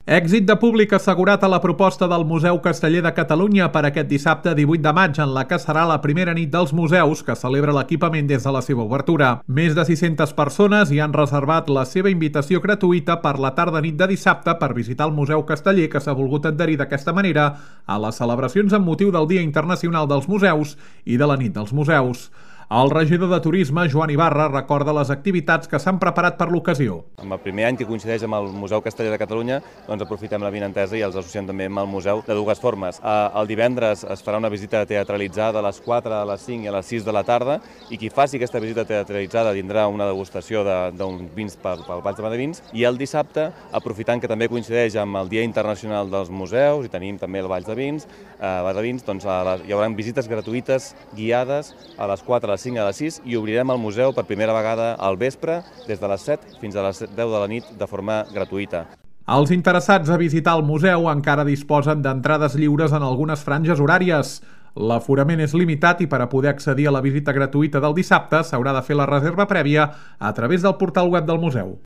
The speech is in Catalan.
Èxit de públic assegurat a la proposta del Museu Casteller de Catalunya per aquest dissabte 18 de maig, en la que serà la primera nit dels museus que celebra l'equipament des de la seva obertura. Més de 600 persones hi han reservat la seva invitació gratuïta per la tarda-nit de dissabte per visitar el Museu Casteller, que s'ha volgut adherir d'aquesta manera a les celebracions amb motiu del Dia Internacional dels Museus i de la Nit dels Museus. El regidor de Turisme, Joan Ibarra, recorda les activitats que s'han preparat per l'ocasió. En el primer any que coincideix amb el Museu Casteller de Catalunya, doncs aprofitem la vinentesa i els associem també amb el museu de dues formes. El divendres es farà una visita teatralitzada a les 4, a les 5 i a les 6 de la tarda, i qui faci aquesta visita teatralitzada tindrà una degustació d'uns vins pel Valls de Madavins, i el dissabte, aprofitant que també coincideix amb el Dia Internacional dels Museus i tenim també el Valls de Vins, doncs hi haurà visites gratuïtes guiades a les 4, a les 5 a les 6, i obrirem el museu per primera vegada al vespre, des de les 7 fins a les 10 de la nit, de forma gratuïta. Els interessats a visitar el museu encara disposen d'entrades lliures en algunes franges horàries. L'aforament és limitat i per a poder accedir a la visita gratuïta del dissabte s'haurà de fer la reserva prèvia a través del portal web del museu.